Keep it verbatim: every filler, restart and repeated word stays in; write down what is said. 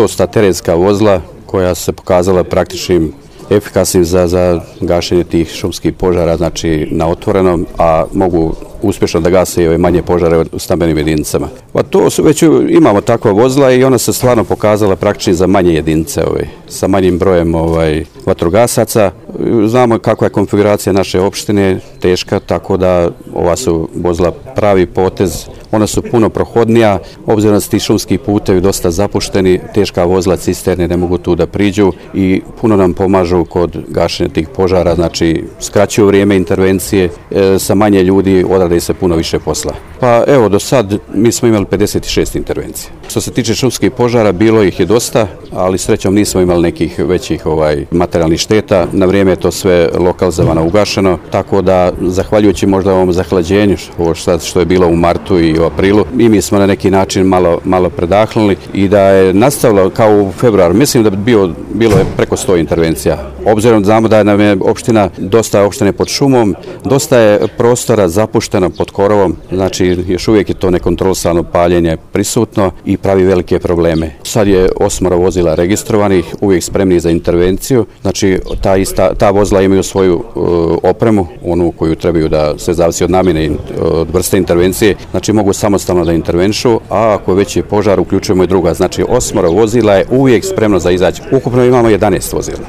to su ta terenska vozila koja se pokazala praktičnim efikasnim za, za gašenje tih šumskih požara, znači na otvorenom, a mogu uspješno da gase i ove manje požare u stambenim jedinicama. Pa to su, već imamo takva vozila i ona se stvarno pokazala praktični za manje jedinice, ovaj, sa manjim brojem ovaj, vatrogasaca. Znamo kakva je konfiguracija naše opštine, teška, tako da ova su vozila pravi potez. Ona su puno prohodnija, obzirom da su ti šumski putevi dosta zapušteni, teška vozila, cisterne ne mogu tu da priđu i puno nam pomažu kod gašenja tih požara, znači skraćuju vrijeme intervencije, e, sa manje ljudi odrade se puno više posla. Pa evo, do sad mi smo imali pedeset šest intervencija. Što se tiče šumskih požara, bilo ih je dosta, ali srećom nismo imali nekih većih ovaj, materijalnih šteta. Na vrijeme je to sve lokalizovano, ugašeno, tako da zahvaljujući možda ovom zahlađenju, ovo što je bilo u martu i u aprilu, i mi smo na neki način malo, malo predahnuli i da je nastavilo kao u februaru. Mislim da bi bio, bilo je preko sto intervencija. Obzirom da znamo da je nam je opština dosta opštine pod šumom, dosta je prostora zapušteno pod korovom, znači još uvijek je to nekontrolisano paljenje prisutno i pravi velike probleme. Sad je osmoro vozila registrovanih, uvijek spremni za intervenciju, znači ta, ista, ta vozila imaju svoju uh, opremu, onu koju trebaju da se zavisi od namjene, od vrste intervencije, znači mogu samostalno da intervenšu, a ako već je požar uključujemo i druga, znači osmoro vozila je uvijek spremno za izaći. Ukupno imamo jedanaest vozila.